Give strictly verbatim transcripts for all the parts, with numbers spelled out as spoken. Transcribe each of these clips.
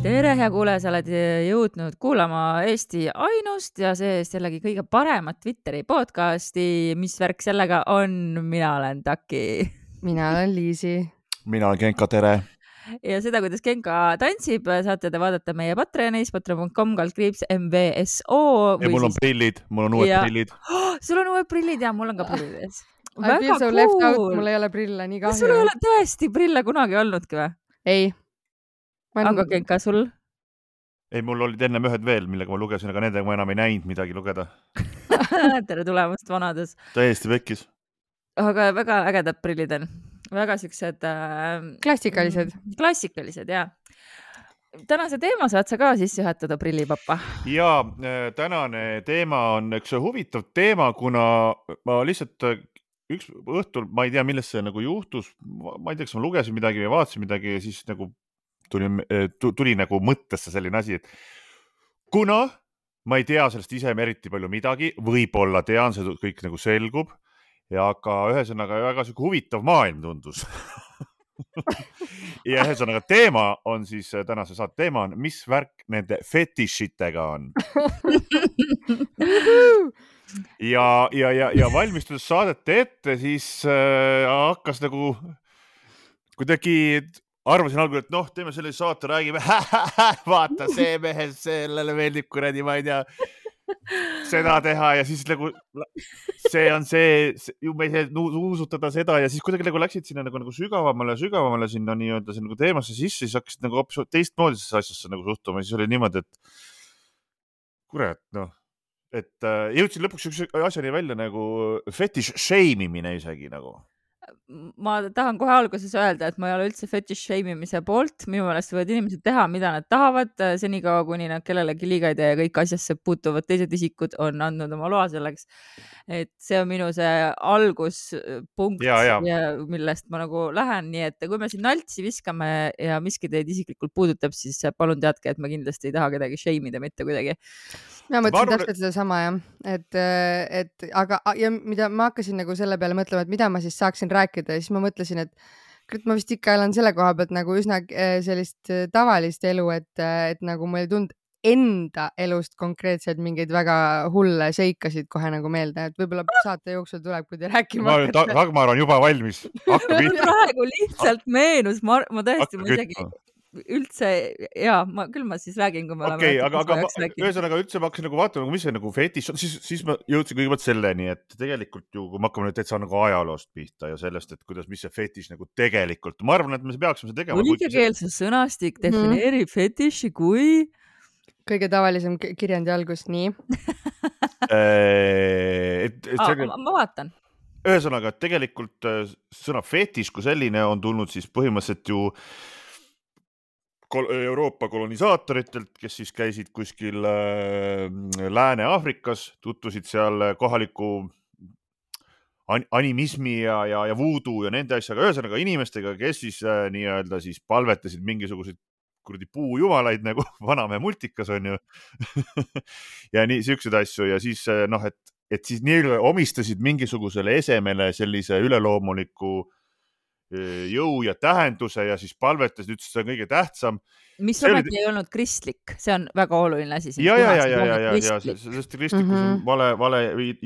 tere, hea kuulaja, sa oled jõudnud kuulama Eesti ainust ja see jällegi kõige paremat Twitteri podcasti. Mis värk sellega on? Mina olen Taki. Mina olen Liisi. Mina olen Genka, tere. Ja seda, kuidas Genka tantsib, saate te vaadata meie Patreonis, patreon punkt com kaldkriips M V S O. Ja mul on siis... prillid, mul on uued ja... prillid. Oh, sul on uued prillid ja mul on ka prillid. I feel so left out, mul ei ole prille, nii kahju. Sul ei ole tõesti prille kunagi olnudki või? Ei. Man... Aga Genka, sul? Ei, mul olid ennem ühed veel, millega ma lugesin, aga nendega ma enam ei näinud midagi lugeda. Tere tulemast vanades. Täiesti pekkis. Aga väga ägedad prillid on. Väga siuksed... Äh... Klassikalised. Klassikalised, jah. Tänase teema saad sa ka sisse juhatada, prillipappa. Ja tänane teema on üks huvitav teema, kuna ma lihtsalt üks õhtul, ma ei tea, millest see nagu juhtus, ma ei tea, kas ma lugesin midagi või vaatasin midagi ja siis nagu tuli, tuli nagu mõttesse selline asi, et kuna ma ei tea sellest ise eriti palju midagi, võib-olla tean, see kõik nagu selgub, ja aga ühesõnaga väga siuke huvitav maailm tundus. Ja ühesõnaga teema on siis, tänase saate teema on, mis värk nende fetišitega on. Ja, ja, ja, ja valmistudes saadete ette, siis äh, hakkas nagu kuidagi, arvasin algul, et noh, teeme selle saate, räägime, vaata see mehes, sellele meeldib kuradi, ma ei tea, seda teha ja siis nagu see on see, ju me ei saa nuusutada seda ja siis kuidagi nagu läksid sinna nagu, nagu sügavamale ja sügavamale sinna nii-öelda see nagu teemasse sisse, siis hakkasid nagu hoopis teistmoodi asjasse nagu suhtuma ja siis oli niimoodi, et kurat, noh, et äh, jõudsin lõpuks üks asjani välja nagu fetish shameimine isegi nagu. Ma tahan kohe alguses öelda, et ma ei ole üldse fetish shame'imise poolt. Minu meelest võivad inimesed teha, mida nad tahavad, senikaua kuni nad kellelegi liiga ei tee ja kõik asjasse puutuvad teised isikud on andnud oma loa selleks. Et see on minu see alguspunkt, ja, ja. Ja, millest ma nagu lähen. Nii et kui me siin naltsi viskame ja miski teid isiklikult puudutab, siis palun teadke, et ma kindlasti ei taha kedagi shame'ida mitte kuidagi. Ma mõtlesin täpselt seda sama, jah. Et, et, aga ja mida ma hakkasin nagu selle peale mõtlema, et mida ma siis saaksin rääkida ja siis ma mõtlesin, et ma vist ikka elan selle koha pealt nagu üsna sellist tavalist elu, et, et nagu ma ei tund enda elust konkreetselt mingeid väga hulle seikasid kohe nagu meelde, et võib-olla saate jooksul tuleb, kui te rääkima hakkate. Ragmar on juba valmis. Praegu lihtsalt meenus, ma, ma tõesti, ma isegi üldse, jaa, ma, küll ma siis räägin, kui me okay, oleme. Aga, aga ma, ühesõnaga üldse ma hakkasin nagu vaatama, mis see nagu fetiš on, siis, siis ma jõudsin kõigepealt selleni, et tegelikult ju, kui me hakkame nüüd täitsa nagu ajaloost pihta ja sellest, et kuidas, mis see fetiš nagu tegelikult, ma arvan, et me peaksime see tegema. Olikekeelse sõnastik defineerib mm. fetiši kui kõige tavalisem kirjandi algus, nii. et, et Aa, ma, ma vaatan. Ühesõnaga, et tegelikult sõna fetiš kui selline on tulnud siis põhimõtteliselt ju Euroopa kolonisaatoritelt, kes siis käisid kuskil äh, Lääne-Aafrikas, tutvusid seal kohaliku animismi ja, ja, ja voodoo ja nende asjaga, ühesõnaga inimestega, kes siis äh, nii-öelda siis palvetasid mingisuguseid kuradi puujumalaid nagu vanamehe multikas on ju. Ja nii siukseid asju ja siis noh, et, et siis nii omistasid mingisugusele esemele sellise üleloomuliku jõu ja tähenduse ja siis palvetas, ütles, see on kõige tähtsam. Mis ometi oli... ei olnud kristlik, see on väga oluline asi. Ja, ja, ja, ja, ja, ja, sest kristlikus mm -hmm. on vale, vale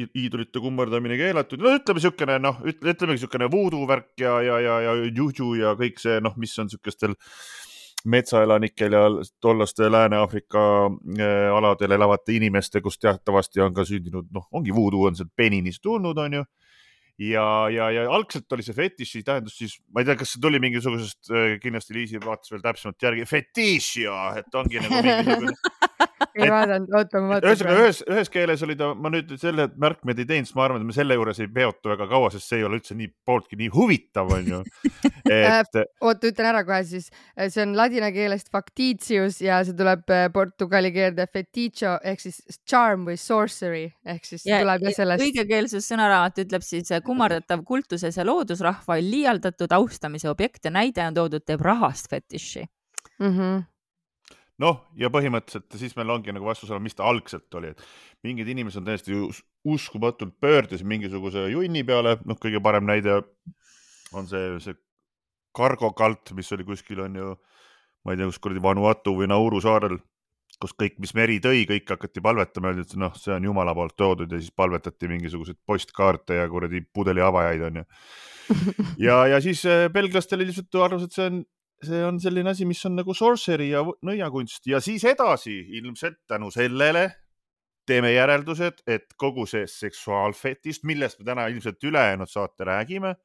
iidolite kummardamine keelatud. No ütleme siukene, noh, ütleme siukene voodoo värk ja, ja, ja, ja juju ja kõik see, noh, mis on siukestel metsaelanikel ja tollaste Lääne-Aafrika aladel elavate inimeste, kus teatavasti on ka sündinud, noh, ongi voodoo on sealt Beninist tulnud, on ju. Ja, ja, ja algselt oli see fetiši tähendus siis, ma ei tea, kas see tuli mingisugusest, kindlasti Liisi vaatas veel täpsemalt järgi, fetišio, et ongi nagu mingisugune. Ei vaadanud, oota, ma vaatan. Ühesõnaga, ühes, ühes keeles oli ta, ma nüüd selle märkmed ei teinud, ma arvan, et me selle juures ei peotu väga kaua, sest see ei ole üldse nii pooltki nii huvitav, on ju. Et... Oota, ütlen ära kohe siis, see on ladina keelest factitius ja see tuleb portugali keelde feticho ehk siis charm või sorcery ehk siis ja, tuleb ja sellest. Õigekeelsus sõnaraamat ütleb siis kummardatav kultuses ja loodusrahva liialdatud austamise objekt ja näide on toodud teeb rahast fetiši. Mhm. Noh, ja põhimõtteliselt siis meil ongi nagu vastus olla, mis ta algselt oli, et mingid inimesed on täiesti uskumatult pöördes mingisuguse junni peale, noh, kõige parem näide on see, see kargokalt, mis oli kuskil on ju ma ei tea, kus kuradi Vanuatu või Nauru saarel, kus kõik, mis meri tõi, kõik hakati palvetama, öeldi, et noh, see on Jumala poolt toodud ja siis palvetati mingisuguseid postkaarte ja kuradi pudeli avajaid on ju. Ja, ja siis belglastel lihtsalt arvas, et see on, see on selline asi, mis on nagu sorcery ja nõiakunst ja siis edasi ilmselt tänu sellele teeme järeldused, et kogu see seksuaalfetist, millest me täna ilmselt ülejäänud saate räägime,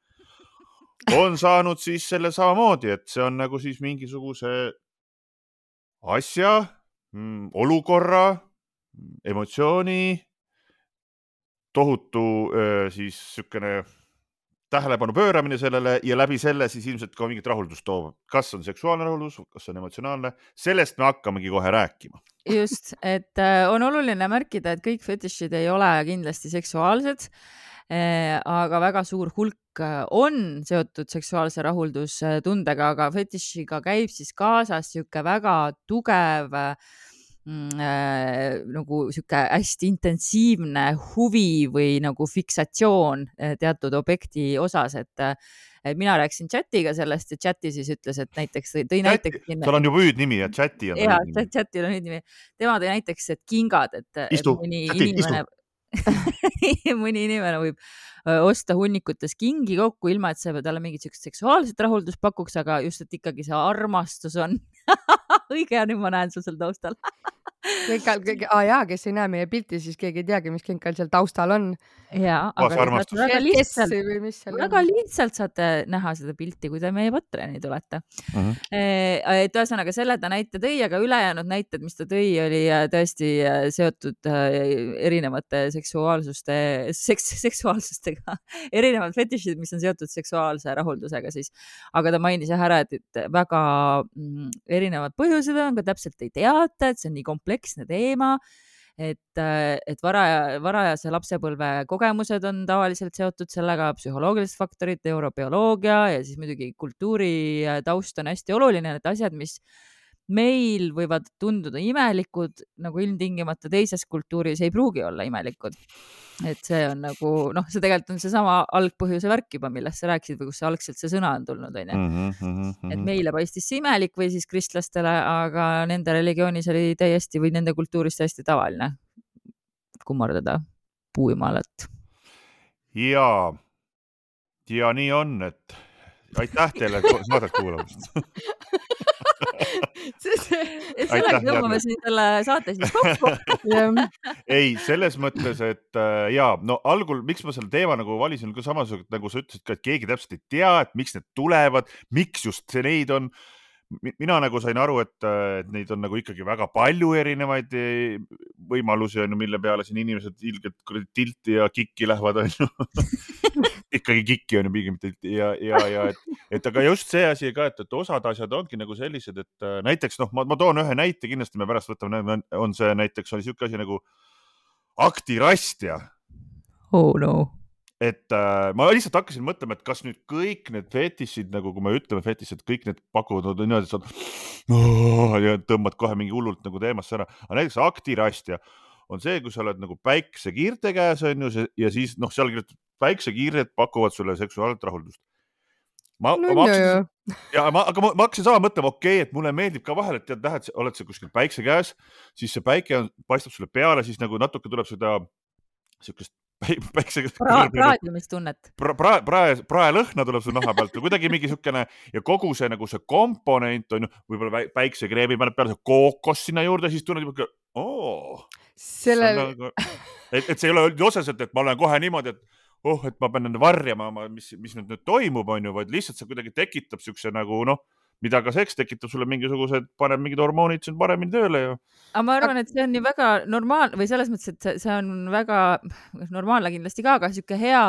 on saanud siis selle samamoodi, et see on nagu siis mingisuguse asja, olukorra, emotsiooni, tohutu siis sükene tähelepanu pööramine sellele ja läbi selle siis ilmselt ka mingit rahuldust toov. Kas on seksuaalne rahuldus, kas on emotsionaalne? Sellest me hakkamegi kohe rääkima. Just, et on oluline märkida, et kõik fetišid ei ole kindlasti seksuaalsed, aga väga suur hulk on seotud seksuaalse rahuldustundega, aga fetišiga käib siis kaasas siuke väga tugev Äh, nagu siuke hästi intensiivne huvi või nagu fiksatsioon teatud objekti osas, et, et mina rääkisin chatiga sellest ja chati siis ütles, et näiteks tõi näiteks tal on ju hüüdnimi ja chati on ja, chatil on hüüdnimi. Tema tõi näiteks, et kingad, et, istu, et mõni chati, inimene mõni inimene võib osta hunnikutes kingi kokku, ilma et see talle mingit seksuaalset rahuldust pakuks, aga just, et ikkagi see armastus on õige ja nüüd ma näen sul seal taustal. Kõik, ah jaa, kes ei näe meie pilti, siis keegi ei teagi, mis kinkal seal taustal on. Ja, aga väga lihtsalt, väga lihtsalt saate näha seda pilti, kui te meie Patreoni tulete. Uh-huh. Et ühesõnaga selle ta näite tõi, aga ülejäänud näited, mis ta tõi, oli tõesti seotud erinevate seksuaalsuste, seks, seksuaalsustega, erinevad fetišid, mis on seotud seksuaalse rahuldusega siis. Aga ta mainis jah ära, et väga erinevad põhjused on, ka täpselt ei teata, et see on nii kompleksne teema, et, et varaja, varajase lapsepõlve kogemused on tavaliselt seotud sellega, psühholoogilised faktorid, neurobioloogia ja siis muidugi kultuuri taust on hästi oluline, need asjad, mis meil võivad tunduda imelikud, nagu ilmtingimata teises kultuuris ei pruugi olla imelikud. Et see on nagu, noh, see tegelikult on see sama algpõhjuse värk juba, millest sa rääkisid või kus see algselt see sõna on tulnud, on ju. Mm -hmm. Et meile paistis see imelik või siis kristlastele, aga nende religioonis oli täiesti või nende kultuuris täiesti tavaline kummardada puujumalat. Ja, ja nii on, et aitäh teile saadet kuulamast. Sellega tõmbame siin selle saate siis kokku. Ei, selles mõttes, et jaa, no algul, miks ma selle teema nagu valisin, ka samasugult, nagu sa ütlesid ka, et keegi täpselt ei tea, et miks need tulevad, miks just see neid on. Mina nagu sain aru, et, et neid on nagu ikkagi väga palju erinevaid võimalusi, mille peale siin inimesed ilgelt tilti ja kikki lähevad, on ju. Ikkagi kikki on ju pigem tilti ja, ja, ja et, et aga just see asi ka, et, et osad asjad ongi nagu sellised, et näiteks, noh, ma, ma toon ühe näite, kindlasti me pärast võtame, on see näiteks, oli siuke asi nagu aktirastja. Oh no. Et äh, ma lihtsalt hakkasin mõtlema, et kas nüüd kõik need fetišid, nagu kui me ütleme fetišid, kõik need pakuvad niimoodi, et sa oh, ja tõmbad kohe mingi hullult nagu teemasse ära. Aga näiteks aktirastja on see, kui sa oled nagu päiksekiirte käes on ju, ja siis noh, seal päiksekiired pakuvad sulle seksuaalset rahuldust. Ma, no, ma hakkasin, ja, ma, aga ma, ma hakkasin sama mõtlema, okei, okay, et mulle meeldib ka vahel, et tead, lähed, oled sa kuskil päikse käes, siis see päike on, paistab sulle peale, siis nagu natuke tuleb seda siukest praadimistunnet. Pra, pra, prae, prae lõhna tuleb su naha pealt, kuidagi mingi siukene ja kogu see nagu see komponent on ju, võib-olla päiksekreemi paneb peale see kookos sinna juurde, siis tunned juba, oo, Selle... nagu, et, et see ei ole otseselt, et ma olen kohe niimoodi, et oh, et ma pean varjama, mis, mis nüüd, nüüd toimub, on ju, vaid lihtsalt see kuidagi tekitab siukse nagu noh, mida ka seks tekitab sulle mingisugused, paneb mingid hormoonid siin paremini tööle ju. Aga ma arvan, et see on nii väga normaalne või selles mõttes, et see on väga normaalne kindlasti ka, aga siuke hea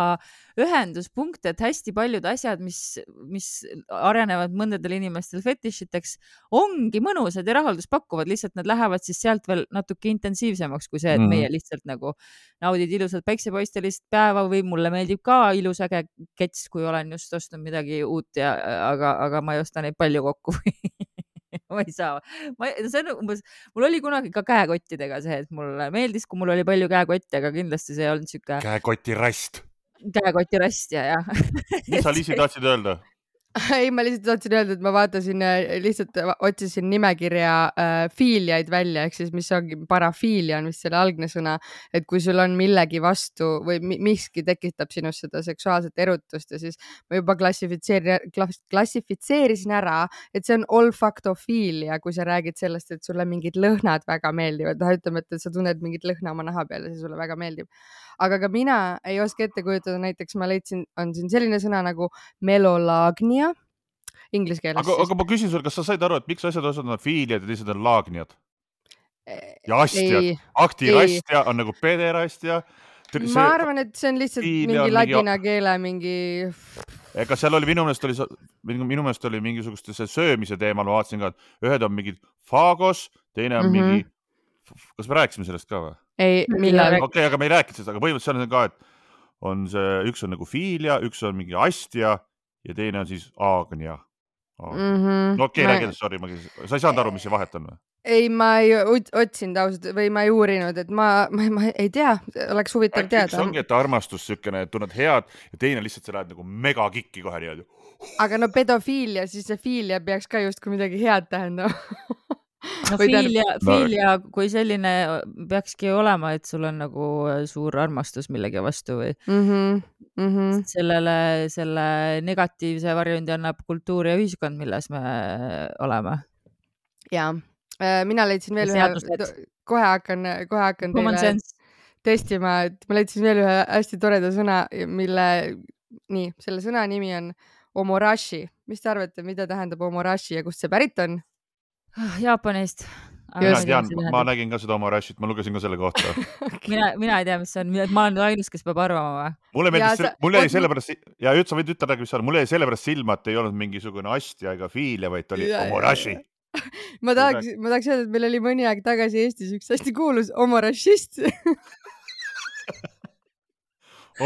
ühenduspunkt, et hästi paljud asjad, mis, mis arenevad mõndadel inimestel fetišiteks, ongi mõnusad ja rahuldust pakuvad, lihtsalt nad lähevad siis sealt veel natuke intensiivsemaks kui see, et meie lihtsalt nagu naudid ilusat päiksepaistelist päeva või mulle meeldib ka ilus äge kets, kui olen just ostnud midagi uut ja aga, aga ma ei osta neid palju kokku ma ei saa. Ma, see on umbes, mul oli kunagi ka käekottidega see, et mulle meeldis, kui mul oli palju käekotti, aga kindlasti see ei olnud siuke... Käekotirast. Käekotirast ja, jah. Mis sa, Liisi, tahtsid öelda? ei, ma lihtsalt tahtsin öelda, et ma vaatasin, lihtsalt otsisin nimekirja äh, fiiliaid välja, ehk siis mis ongi parafiilia on vist selle algne sõna, et kui sul on millegi vastu või miski tekitab sinust seda seksuaalset erutust ja siis ma juba klassifitseerin, klassifitseerisin ära, et see on olfaktofiilia, kui sa räägid sellest, et sulle mingid lõhnad väga meeldivad, ütleme, et sa tunned mingit lõhna oma naha peal ja see sulle väga meeldib. Aga ka mina ei oska ette kujutada, näiteks ma leidsin, on siin selline sõna nagu melolagnia inglise keeles. Aga, aga ma küsin sulle, kas sa said aru, et miks asjad osad on fiiliad ja teised on laagniad? Ja astjad. Aktirastja on nagu pederastja. See, ma arvan, et see on lihtsalt mingi ladina mingi... keele mingi... Ega seal oli, minu meelest oli, minu meelest oli mingisugust see söömise teemal, ma vaatasin ka, et ühed on mingid fagos, teine on mm-hmm. mingi... Kas me rääkisime sellest ka või? Ei, millal? Okei, okay, aga me ei rääkinud sellest, aga põhimõtteliselt on ka, et on see, üks on nagu fiilia, üks on mingi astja ja teine on siis aagnia. Mm-hmm. No okei, okay, ma... räägid, sorry, ma... sa ei saanud aru, mis see vahet on või? Ei, ma ei otsinud ausalt või ma ei uurinud, et ma, ma, ma ei tea, oleks huvitav teada. Üks ongi, et armastus sükene, et tunned head ja teine lihtsalt sa lähed nagu mega kikki kohe niimoodi. Aga no pedofiilia, siis see fiilia peaks ka just kui midagi head tähendama. No fiilia, fiilia kui selline peakski olema, et sul on nagu suur armastus millegi vastu või mm-hmm. Mm-hmm. sellele, selle negatiivse varjundi annab kultuur ja ühiskond, milles me oleme. Ja, mina leidsin veel ühe, kohe hakkan, kohe hakkan teile testima, et ma leidsin veel ühe hästi toreda sõna, mille, nii, selle sõna nimi on omorashi. Mis te arvate, mida tähendab omorashi ja kust see pärit on? Jaapanist. Mina tean, ma nägin ka seda oma rashit, ma lugesin ka selle kohta. mina, mina ei tea, mis see on. Ma olen ainus, kes peab arvama või? Mulle meeldis, sa... mul jäi sellepärast, ja üldse sa võid ütelda, mis on, mul jäi sellepärast silma, et ei olnud mingisugune astja ega fiilia, vaid oli oma rashi. ma tahaks, ma tahaks öelda, et meil oli mõni aeg tagasi Eestis üks hästi kuulus omorashist.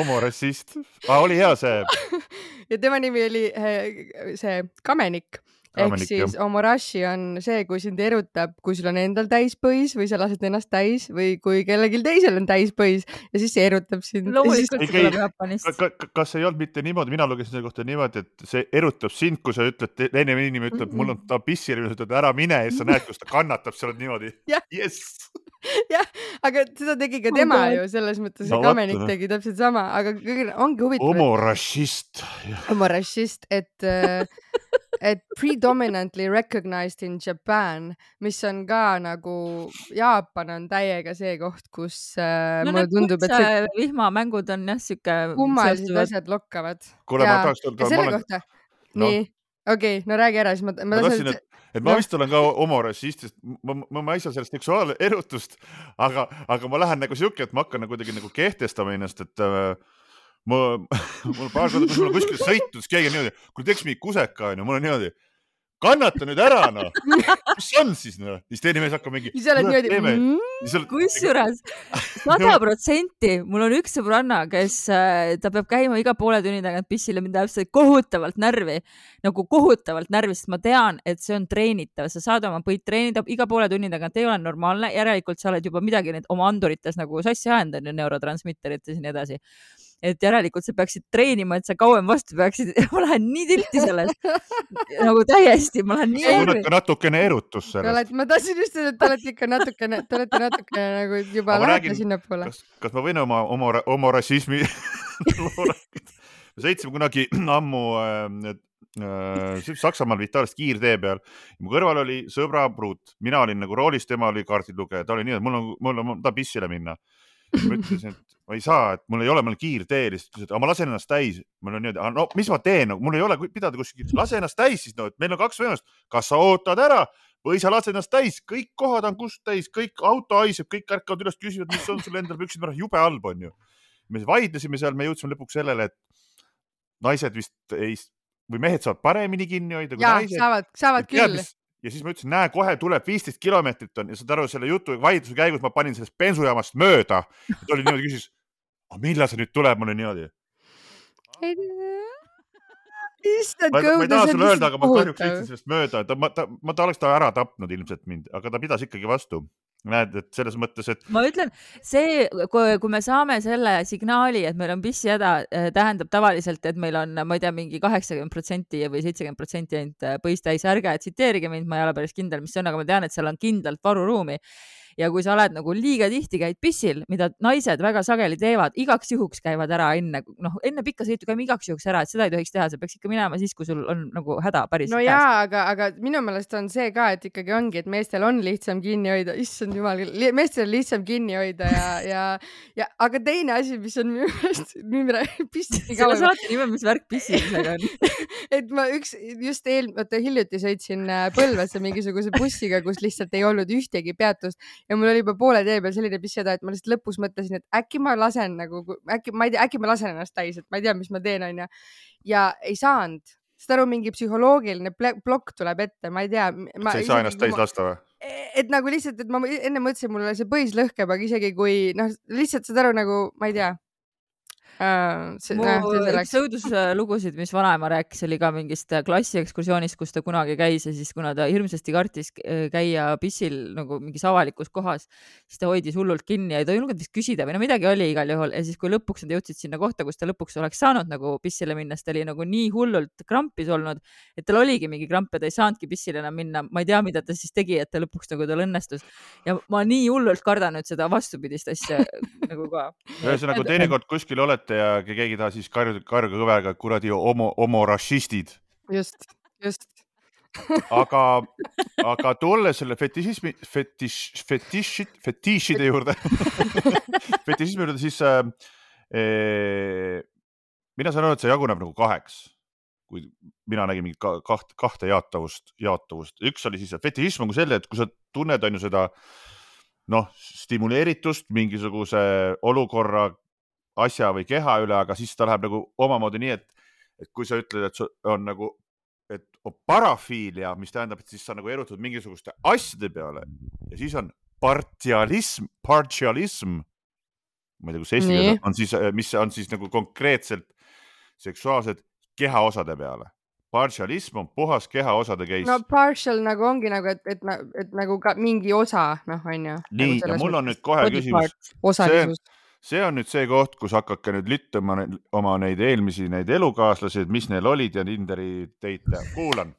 Omorashist. Ah, oli hea see. ja tema nimi oli see Kamenik. Ehk siis omorashi on see, kui sind erutab, kui sul on endal täispõis või sa lased ennast täis või kui kellelgi teisel on täispõis ja siis see erutab sind. Loomulikult see tuleb Jaapanist. Kas ei olnud mitte niimoodi, mina lugesin selle kohta niimoodi, et see erutab sind, kui sa ütled, teine inimene ütleb, mul on ta pissile, sa ütled ära mine ja sa näed, kus ta kannatab, sa oled niimoodi. Yes! jah, aga seda tegi ka tema ju, selles mõttes no, Kamenik tegi täpselt sama, aga ongi huvitav. Omorashist. Omorashist, et et predominantly recognized in Japan, mis on ka nagu Jaapan on täiega see koht, kus äh, no, mulle tundub, et see vihmamängud on jah siuke kummalised asjad lokkavad. Kuule, ma tahaks ja selle olen... kohta. No. Nii, okei, okay, no räägi ära, siis ma, ma, ma tahtsin, et, et ma vist olen ka omorashist, ma, ma, ma ei saa sellest seksuaal erutust, aga, aga ma lähen nagu siuke, et ma hakkan nagu kuidagi nagu kehtestama ennast, et äh, ma, mul paar korda, kus mul on kuskil sõitud, siis keegi on niimoodi, kui teeks mingi kuseka, on ju, mul on niimoodi, kannata nüüd ära, no. Mis on siis, no? Siis teine mees hakkab mingi... Siis oled niimoodi... Mm, kusjuures, sada protsenti, mul on üks sõbranna, kes ta peab käima iga poole tunni tagant pissile, mind täpselt kohutavalt närvi, nagu kohutavalt närvi, sest ma tean, et see on treenitav. Sa saad oma põid treenida iga poole tunni tagant, ei ole normaalne. Järelikult sa oled juba midagi need oma andurites nagu sassi ajendanud ja neurotransmitterites ja nii edasi. Et järelikult sa peaksid treenima, et sa kauem vastu peaksid. Ma lähen nii tilti sellest. nagu täiesti, ma lähen nii... Sa tunned ka natukene erutus sellest. Ma tahtsin just öelda, et te olete ikka natukene, te olete natukene nagu juba lähete sinna poole. Kas, kas ma võin oma, oma, oma rassismi... Me sõitsime kunagi ammu äh, äh, Saksamaal Vitaalist kiirtee peal. Mu kõrval oli sõbra pruut. Mina olin nagu roolis, tema oli kaardilugeja. Ta oli nii, et mul on, mul on ta pissile minna. Ma ütlesin, et ma ei saa, et mul ei ole, mul kiirtee. Aga ma lasen ennast täis. Mul on niimoodi, no mis ma teen? Mul ei ole pidada kuskil. Lase ennast täis siis, no, et meil on kaks võimalust. Kas sa ootad ära või sa lased ennast täis? Kõik kohad on kust täis, kõik auto haiseb, kõik ärkavad üles küsivad, mis on sul endal püksid, jube halb on ju. Me vaidlesime seal, me jõudsime lõpuks sellele, et naised vist ei, või mehed saavad paremini kinni hoida kui ja, naised. Saavad, saavad küll. Ja siis ma ütlesin, näe, kohe tuleb viisteist kilomeetrit on ja saad aru selle jutu vaidluse käigus ma panin sellest bensujaamast mööda. Ja ta oli niimoodi küsis, millal see nüüd tuleb mulle niimoodi? Issand, ma, ma ei taha sulle öelda, aga ma kahjuks sõitsin sellest mööda. Ta, ma, ta, ma ta oleks ta ära tapnud ilmselt mind, aga ta pidas ikkagi vastu. näed, et selles mõttes, et ma ütlen, see, kui me saame selle signaali, et meil on pissihäda, tähendab tavaliselt, et meil on, ma ei tea, mingi kaheksakümmend protsenti või seitsekümmend protsenti ainult põistäis, ärge tsiteerige mind, ma ei ole päris kindel, mis see on, aga ma tean, et seal on kindlalt varuruumi. Ja kui sa oled nagu liiga tihti käid pissil, mida naised väga sageli teevad, igaks juhuks käivad ära enne, noh, enne pikka sõitu käime igaks juhuks ära, et seda ei tohiks teha, sa peaks ikka minema siis, kui sul on nagu häda päris no käes. Jaa, aga, aga minu meelest on see ka, et ikkagi ongi, et meestel on lihtsam kinni hoida, issand jumal, meestel on lihtsam kinni hoida ja, ja, ja aga teine asi, mis on minu meelest pissi selle saate nime, mis värk pissimisega on. et ma üks, just eel, vaata hiljuti sõitsin Põlvasse mingisuguse bussiga, kus lihtsalt ei olnud ühtegi peatust ja mul oli juba poole tee peal selline pissihäda, et ma lihtsalt lõpus mõtlesin, et äkki ma lasen nagu, äkki, ma ei tea, äkki ma lasen ennast täis, et ma ei tea, mis ma teen, on ja, ja ei saanud. Seda aru, mingi psühholoogiline plokk tuleb ette, ma ei tea. Ma, sa ei saa ennast täis lasta või? Et nagu lihtsalt, et ma enne mõtlesin, mulle see põis lõhkeb, aga isegi kui, noh, lihtsalt seda aru nagu, ma ei tea. Uh, see, mu näh, üks õuduslugusid, mis vanaema rääkis, oli ka mingist klassiekskursioonist, kus ta kunagi käis ja siis kuna ta hirmsasti kartis käia pissil nagu mingis avalikus kohas, siis ta hoidis hullult kinni ja ei toinud vist küsida või no midagi oli igal juhul ja siis kui lõpuks nad jõudsid sinna kohta, kus ta lõpuks oleks saanud nagu pissile minna, siis ta oli nagu nii hullult krampis olnud, et tal oligi mingi kramp ja ta ei saanudki pissile enam minna. Ma ei tea, mida ta siis tegi, et ta lõpuks nagu tal õnnestus ja ma nii hullult kardan nüüd seda vastupidist asja nagu ka. Ühesõnaga, teinekord kuskil olete ja keegi taha siis karjuda karga kõverga, kuradi homo, homo rassistid. Just, just. aga, aga tulle selle fetišismi, fetiš, fetišid, fetišide juurde, fetišismi juurde, siis äh, mina saan öelda, et see jaguneb nagu kaheks, kui mina nägin mingi kaht, kahte jaatavust, jaatavust. Üks oli siis fetišism on kui selle, et kui sa tunned on ju seda noh, stimuleeritust mingisuguse olukorra asja või keha üle, aga siis ta läheb nagu omamoodi nii, et, et kui sa ütled, et on nagu, et on parafiilia, mis tähendab, et siis sa nagu erutud mingisuguste asjade peale ja siis on partialism, partialism, ma ei tea, kus eesti keeles on siis, mis on siis nagu konkreetselt seksuaalsed kehaosade peale. Partialism on puhas kehaosade case. No partial nagu ongi nagu, et, et, et nagu ka mingi osa, noh, on ju. Nii, nagu ja mul on nüüd kohe küsimus. Osalisus. See on nüüd see koht, kus hakkake nüüd littuma oma neid eelmisi neid elukaaslasid, mis neil olid ja Tinderi teite. Kuulan.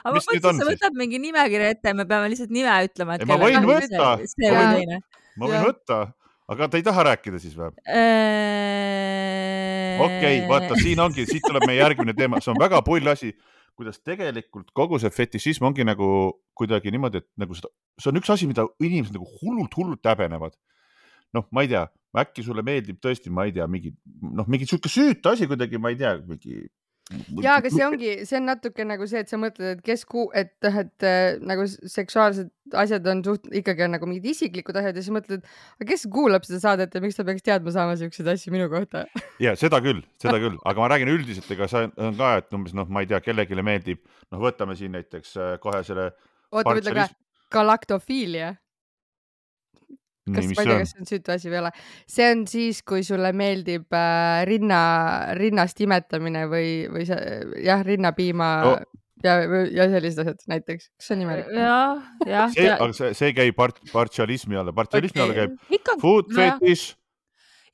aga ma mõtlesin, sa võtad mingi nimekirja ette ja me peame lihtsalt nime ütlema. Et ma võin võtta. See või teine. Ma võin võtta, aga ta ei taha rääkida siis või? Okei, vaata, siin ongi, siit tuleb meie järgmine teema. See on väga pull asi. Kuidas tegelikult kogu see fetišism ongi nagu kuidagi niimoodi, et nagu seda, see on üks asi, mida inimesed nagu hullult, hullult häbenevad. Noh, ma ei tea, äkki sulle meeldib tõesti, ma ei tea, mingi, noh, mingi siuke süüt asi kuidagi, ma ei tea, mingi... Ja, aga see ongi, see on natuke nagu see, et sa mõtled, et kes ku, et, et nagu seksuaalsed asjad on suht, ikkagi on nagu mingid isiklikud asjad ja siis mõtled, aga kes kuulab seda saadet ja miks ta peaks teadma saama siukseid asju minu kohta? Ja, seda küll, seda küll, aga ma räägin üldiselt, ega see on ka, et umbes, noh, ma ei tea, kellegile meeldib, noh, võtame siin näiteks kohe selle... Oota, ütle ka, galaktofiilia. Kas, ma ei tea, kas see on süütu asi või ole. See on siis, kui sulle meeldib äh, rinna, rinnast imetamine või, või see, jah, rinnapiima oh. ja, ja sellised asjad näiteks. Kas see on nimelik? Jah, jah. See, aga see, see käib part, partialismi alla. Partialismi okay. alla käib Ikka, food fetish,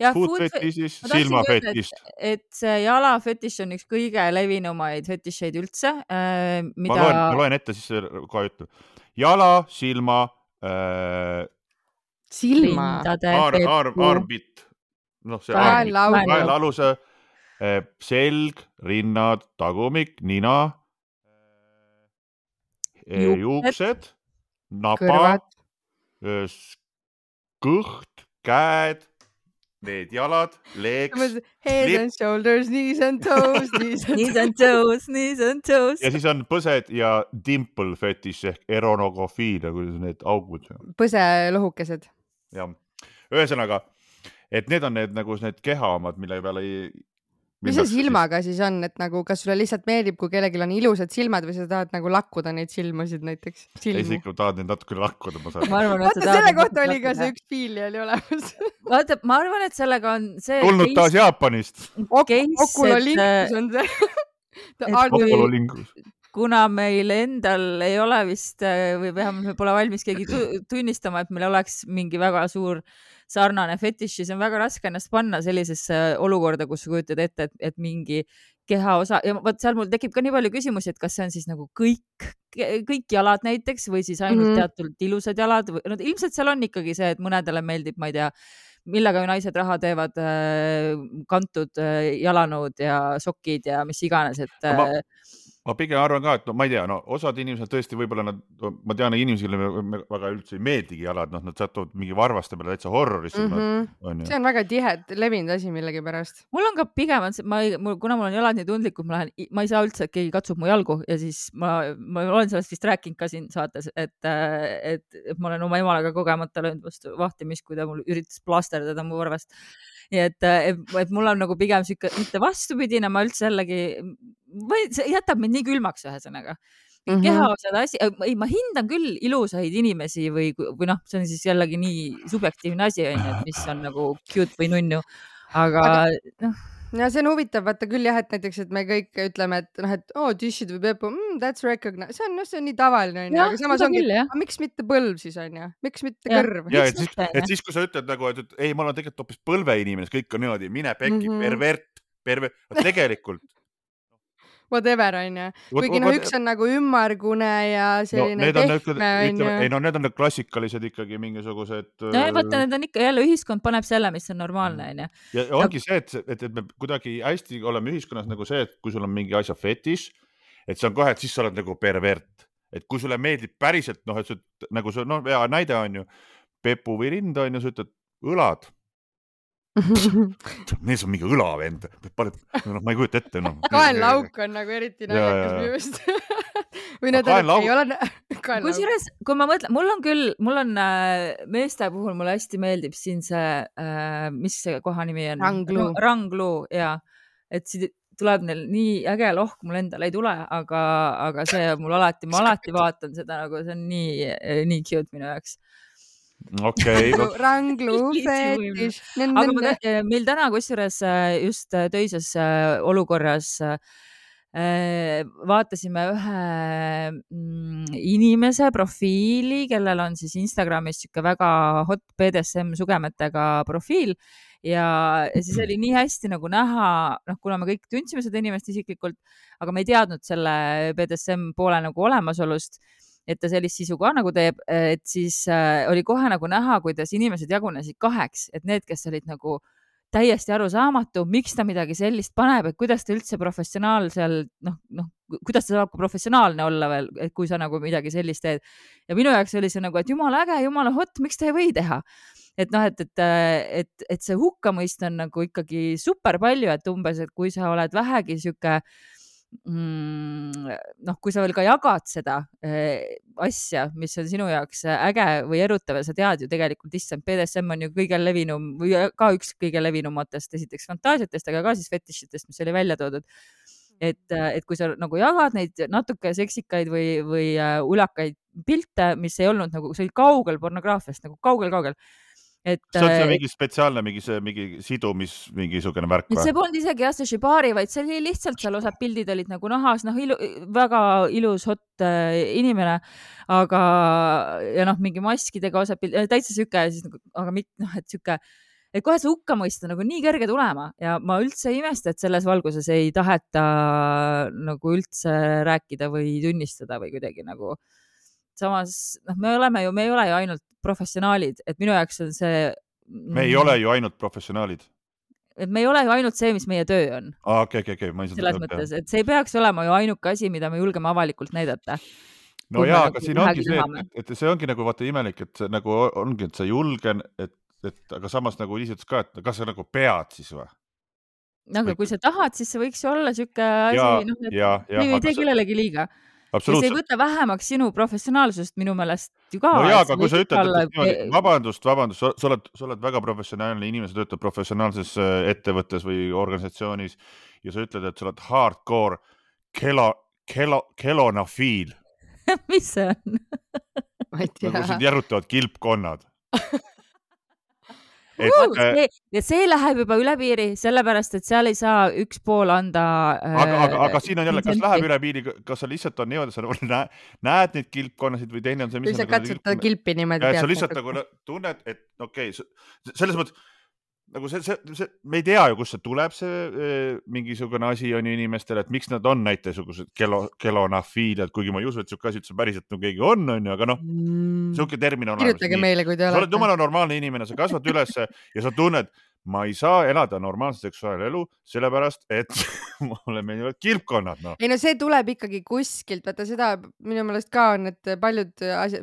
ja, food, food fetish, silma fetish. Et see jala fetish on üks kõige levinumaid fetisheid üldse. Äh, mida... ma, loen, ma loen ette siis kohe ütlen. Jala, silma, äh, silma, Aar, aar, aarbitt, noh see kaela aluse, selg, rinnad, tagumik, nina, juuksed, napa, kõht, käed, need jalad, leeks, head and shoulders, knees and toes, knees and toes, knees and toes. Ja siis on põsed ja dimple fetish ehk eronogofiilia, kuidas need augud. Põselohukesed. Ja, ühesõnaga, et need on need nagu need kehaomad, mille peale ei... Mis see silmaga siis on, et nagu kas sulle lihtsalt meeldib, kui kellelgi on ilusad silmad või sa tahad nagu lakkuda neid silmasid näiteks? Ei, sa ikka tahad neid natuke lakkuda. Ma ma arvan, vaata, selle kohta oli ka see üks fiilia oli olemas. Vaata, ma arvan, et sellega on see... Tulnud taas Jaapanist. Okulolingus on see. Okulolingus. kuna meil endal ei ole vist või vähemalt me pole valmis keegi tunnistama, et meil oleks mingi väga suur sarnane fetiš, siis on väga raske ennast panna sellisesse olukorda, kus sa kujutad ette, et, et mingi kehaosa ja vot seal mul tekib ka nii palju küsimusi, et kas see on siis nagu kõik, kõik jalad näiteks või siis ainult mm -hmm. teatud ilusad jalad või no, ilmselt seal on ikkagi see, et mõnedele meeldib, ma ei tea, millega naised raha teevad, kantud jalanõud ja sokid ja mis iganes, et ma, ma pigem arvan ka, et no ma ei tea, no osad inimesed tõesti võib-olla nad, ma tean inimesele väga üldse ei meeldigi jalad, noh nad satuvad mingi varvaste peale täitsa horrorisse mm. -hmm. On see on väga tihed, levinud asi millegi pärast. Mul on ka pigem, ma ei, mul, kuna mul on jalad nii tundlikud, ma lähen, ma ei saa üldse, et keegi katsub mu jalgu ja siis ma, ma olen sellest vist rääkinud ka siin saates, et, et, et ma olen oma emale ka kogemata löönud vastu vahtimist, kui ta mul üritas plasterdada mu varvast. Nii et, et, et mul on nagu pigem siuke, mitte vastupidine, ma üldse jällegi, või see jätab mind nii külmaks ühesõnaga. Mm -hmm. Kehaosad asi, ei, ma hindan küll ilusaid inimesi või, või noh, see on siis jällegi nii subjektiivne asi, on ju, et mis on nagu cute või nunnu, aga, aga noh. Ja see on huvitav, vaata küll jah, et näiteks, et me kõik ütleme, et noh, et oo, oh, tishid või pepu, mm, that's recognized, see on, no, see on nii tavaline, on ju, aga samas ongi, aga miks mitte põlv siis, on ju, miks mitte ja. kõrv? Ja, et siis, et siis, kui sa ütled nagu, et, et ei, ma olen tegelikult hoopis põlveinimene, kõik on niimoodi, mine pekki, mm -hmm. pervert, pervert, tegelikult. Whatever, on ju. Kuigi noh, üks on nagu ümmargune ja selline no, tehme, on ju. Ei, no need on klassikalised ikkagi mingisugused. No ja vaata, need on ikka jälle, ühiskond paneb selle, mis on normaalne, on ju. Ja ongi see, et, et, et me kuidagi hästi oleme ühiskonnas nagu see, et kui sul on mingi asja fetiš, et see on kohe, et siis sa oled nagu pervert. Et kui sulle meeldib päriselt, noh, et sa, nagu see, noh, hea näide on ju, pepu või rind on ju, sa ütled õlad. Neis on mingi õlavend, no, ma ei kujuta ette no. Kaenlauk on nagu eriti naljakas minu just. Või need on, ei ole kaenlauk. Kusjuures, kui ma mõtlen, mul on küll, mul on äh, meeste puhul mulle hästi meeldib siin see, äh, mis see koha nimi on? Rangluu. Rangluu, jaa. Et siit tuleb neil nii äge lohk, mul endal ei tule, aga, aga see mul alati, ma alati vaatan seda nagu, see on nii, nii cute minu jaoks. Okei. Okay. Rangluu fetiš. Aga ma, meil täna kusjuures just töises olukorras vaatasime ühe inimese profiili, kellel on siis Instagramis siuke väga hot B D S M sugemetega profiil ja siis oli nii hästi nagu näha, noh, kuna me kõik tundsime seda inimest isiklikult, aga me ei teadnud selle B D S M poole nagu olemasolust, et ta sellist sisu ka nagu teeb, et siis äh, oli kohe nagu näha, kuidas inimesed jagunesid kaheks, et need, kes olid nagu täiesti arusaamatu, miks ta midagi sellist paneb, et kuidas ta üldse professionaalsel, noh, noh, kuidas ta saab professionaalne olla veel, et kui sa nagu midagi sellist teed. Ja minu jaoks oli see nagu, et jumala äge, jumala hot, miks ta ei või teha? Et noh, et, et, et, et see hukkamõist on nagu ikkagi super palju, et umbes, et kui sa oled vähegi siuke Mm, noh, kui sa veel ka jagad seda äh, asja, mis on sinu jaoks äge või erutav ja sa tead ju tegelikult, issand, B D S M on ju kõige levinum või ka üks kõige levinumatest esiteks fantaasiatest, aga ka siis fetišitest, mis oli välja toodud. Et, et kui sa nagu jagad neid natuke seksikaid või, või uh, ulakaid pilte, mis ei olnud nagu, see oli kaugel pornograafiast, nagu kaugel-kaugel. Et, see on see mingi spetsiaalne, mingi, see, mingi sidumis, mingi sugune värk või? See polnud isegi jah, see shibari, vaid see oli lihtsalt seal osad pildid olid nagu nahas, noh, ilu, väga ilus hot äh, inimene, aga ja noh, mingi maskidega osad pildid, täitsa süke, siis, aga mitte, noh, et süke, et kohe see hukka mõista nagu nii kerge tulema ja ma üldse ei imesta, et selles valguses ei taheta nagu üldse rääkida või tunnistada või kuidagi nagu samas, noh, me oleme ju, me ei ole ju ainult professionaalid, et minu jaoks on see... Me ei ole ju ainult professionaalid. Et me ei ole ju ainult see, mis meie töö on. Ah, okei, okei, okei. Selles mõttes, et see ei peaks olema ju ainuke asi, mida me julgeme avalikult näidata. No jaa, aga siin ongi see, et, et see ongi nagu vaata imelik, et see nagu ongi, et sa julgen, et, et, aga samas nagu lihtsalt ka, et kas sa nagu pead siis või? Aga kui sa tahad, siis see võiks ju olla siuke asi, noh, et ja, ja, ei tee kellelegi liiga. Ja see ei võta vähemaks sinu professionaalsust minu meelest ju ka. No jaa, aga kui sa ütled, et niimoodi, vabandust, vabandust, sa oled, sa oled väga professionaalne inimene, sa töötad professionaalses ettevõttes või organisatsioonis ja sa ütled, et sa oled hardcore kelo, kelo, kelonafiil. Mis see on? Ma ei tea. Nagu sind järutavad kilpkonnad. et, see, ja see läheb juba üle piiri, sellepärast, et seal ei saa üks pool anda aga, aga, aga siin on jälle, kas läheb üle piiri, kas sa lihtsalt on niimoodi, sa näed, näed neid kilpkonnasid või teine on see, mis või sa katsutada kilpi niimoodi. Ja sa lihtsalt nagu tunned, et okei, okay, selles mõttes nagu see, see, see, me ei tea ju, kust see tuleb, see e, mingisugune asi on ju inimestele, et miks nad on näitesugused kelo, kelonafiiliad, kuigi ma ei usu, et siuke asi üldse päriselt no keegi on, on ju, aga noh, mm. siuke termin on. Kirjutage meile, kui te olete. Sa oled jumala normaalne inimene, sa kasvad üles ja sa tunned, ma ei saa elada normaalset seksuaalelu, sellepärast, et mulle meeldivad kilpkonnad. No. Ei no see tuleb ikkagi kuskilt, vaata seda minu meelest ka on, et paljud,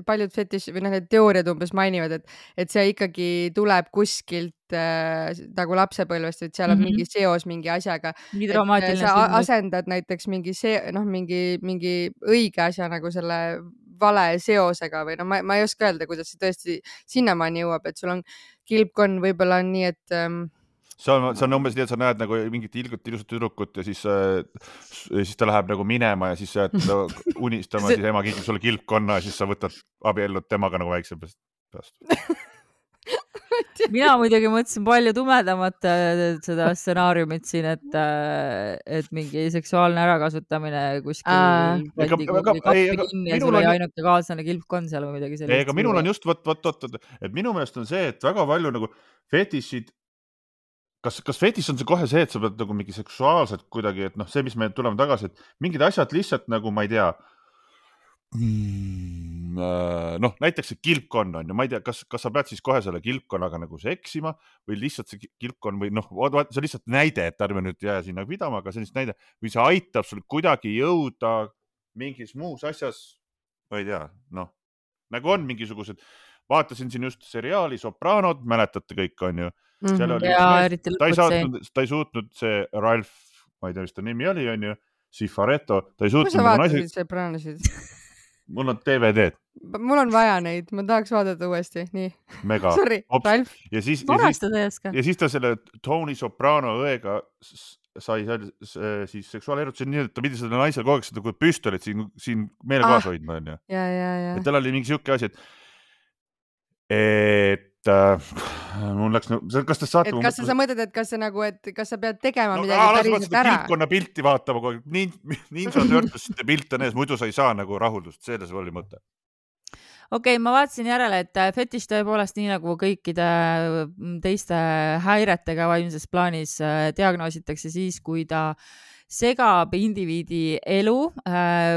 paljud fetiš või noh, need teooriad umbes mainivad, et, et see ikkagi tuleb kuskilt äh, nagu lapsepõlvest, et seal on mm -hmm. mingi seos mingi asjaga. Sa asendad näiteks mingi see, noh, mingi, mingi õige asja nagu selle vale seosega või no ma, ma ei oska öelda, kuidas see tõesti sinnamaani jõuab, et sul on kilpkonn võib-olla on nii, et ähm... see on, see on umbes nii, et sa näed nagu mingit ilgut ilusat tüdrukut ja siis, äh, siis ta läheb nagu minema ja siis sa jääd unistama, siis ema kingib sulle kilpkonna ja siis sa võtad abiellud temaga nagu väikse peast. Mina muidugi mõtlesin palju tumedamat seda stsenaariumit siin, et, et mingi seksuaalne ärakasutamine kuskil pandi kappi kinni ja sul oli ainuke kaaslane kilpkonn seal või midagi sellist. Ega minul on just, võt, võt, võt, et minu meelest on see, et väga palju nagu fetišid, kas, kas fetiš on see kohe see, et sa pead nagu mingi seksuaalselt kuidagi, et noh, see, mis me tuleme tagasi, et mingid asjad lihtsalt nagu, ma ei tea, noh, näiteks see kilpkonn on ja ma ei tea, kas, kas sa pead siis kohe selle kilpkonnaga nagu seksima või lihtsalt see kilpkonn või noh, see lihtsalt näide, et ärme nüüd jää sinna pidama, aga sellist näide või see aitab sul kuidagi jõuda mingis muus asjas, ma ei tea, noh, nagu on mingisugused, vaatasin siin just seriaali Sopranod, mäletate kõik on ju, seal oli, ja, ta, ei saatnud, ta ei suutnud see Ralph, ma ei tea, mis ta nimi oli, on ju, Cifaretto, ta ei suutnud. Kus sa vaatasid Sopranosid? Mul on D V D-d. Mul on vaja neid, ma tahaks vaadata uuesti, nii. Mega. Sorry, Ralf. Ja siis, ja, siis, ja siis ta selle Tony Soprano õega sai siis seksuaalerutusi nii, et ta pidi seda naisel kogu aeg seda kui püstolit siin, siin meele ah. kaasa hoidma. On, ja. Ja, ja, ja. Et tal oli mingi siuke asi, et, et äh, mul läks, kas te saate... Et kas sa mõtled, et kas sa nagu, et kas sa pead tegema no, midagi päriselt ära? Kilpkonna pilti vaatama, kui Ninja Turtlesite pilt on ees, muidu sa ei saa nagu rahuldust, selles oli mõte. Okei, okay, ma vaatasin järele, et fetiš tõepoolest nii nagu kõikide teiste häiretega vaimses plaanis diagnoositakse siis, kui ta segab indiviidi elu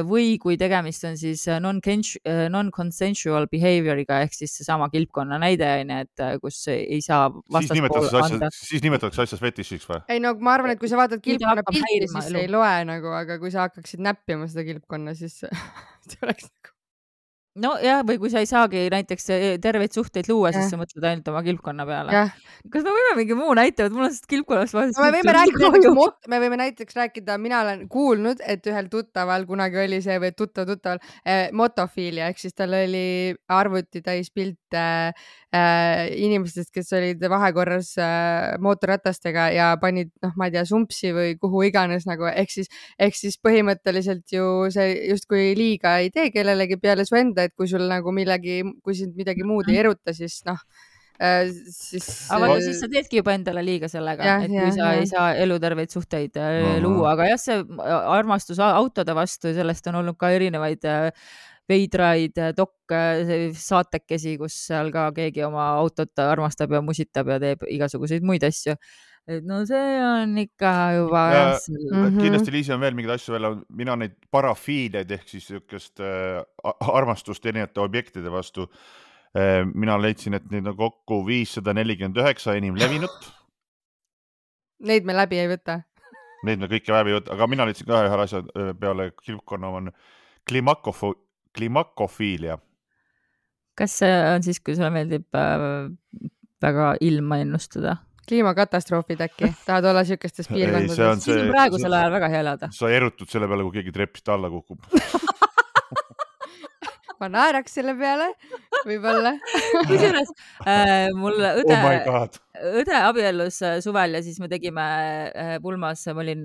või kui tegemist on siis non-consensual behavioriga ehk siis seesama kilpkonna näide, et kus ei saa vastaspool anda. Siis nimetatakse asjas fetišiks või? Ei no ma arvan, et kui sa vaatad kilpkonna pilti, siis ei loe nagu, aga kui sa hakkaksid näppima seda kilpkonna, siis see oleks nagu no jah, või kui sa ei saagi näiteks terveid suhteid luua, siis ja. Sa mõtled ainult oma kilpkonna peale. Ja. Kas me võime mingi muu näitavad? Mul on sellest kilpkonnast vahest... No, me, võime rääkida, me võime näiteks rääkida, mina olen kuulnud, et ühel tuttaval kunagi oli see või tuttav tuttaval eh, motofiilia, ehk siis tal oli arvuti täis pilte eh, inimestest, kes olid vahekorras eh, mootorratastega ja panid, noh, ma ei tea, sumpsi või kuhu iganes nagu, ehk siis, ehk siis põhimõtteliselt ju see justkui liiga ei tee kellelegi peale su enda, et kui sul nagu millegi, kui sind midagi muud ei eruta, siis noh, siis... Aga siis sa teedki juba endale liiga sellega, ja, et kui ja, sa ja. Ei saa eluterveid suhteid uh-huh. luua, aga jah, see armastus autode vastu, sellest on olnud ka erinevaid veidraid dok saatekesi, kus seal ka keegi oma autot armastab ja musitab ja teeb igasuguseid muid asju. Et no see on ikka juba... Ja, mm-hmm. Kindlasti Liisi on veel mingeid asju veel, mina neid parafiiliaid ehk siis niisugust äh, armastust erinevate objektide vastu. Äh, mina leidsin, et neid on kokku viissada nelikümmend üheksa enim levinut. Neid me läbi ei võta. Neid me kõike läbi ei võta, aga mina leidsin ka ühe asja peale kilpkonna on klimakofo, klimakofiilia. Kas see on siis, kui sulle meeldib äh, väga ilma ennustada? Kliimakatastroofid äkki, tahad olla siukestes piirkondades. See on, see, see on praegusel ajal väga hea elada. Sa erutud selle peale, kui keegi trepist alla kukub. Ma naeraks selle peale, võib-olla. Kusjuures äh, mul õde, oh õde abiellus suvel ja siis me tegime pulmas, ma olin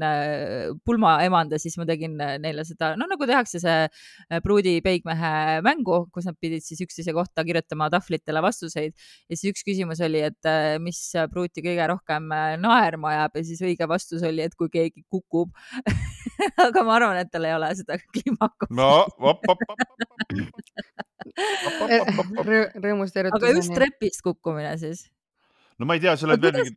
pulma emand ja siis ma tegin neile seda, no nagu tehakse see pruudi peigmehe mängu, kus nad pidid siis üksteise kohta kirjutama tahvlitele vastuseid ja siis üks küsimus oli, et mis pruuti kõige rohkem naerma ajab ja siis õige vastus oli, et kui keegi kukub aga ma arvan, et tal ei ole seda kliimakust. No, op, op, op, rõõmust erutuseni. Aga just trepist kukkumine siis? No ma ei tea, selle veel mingi...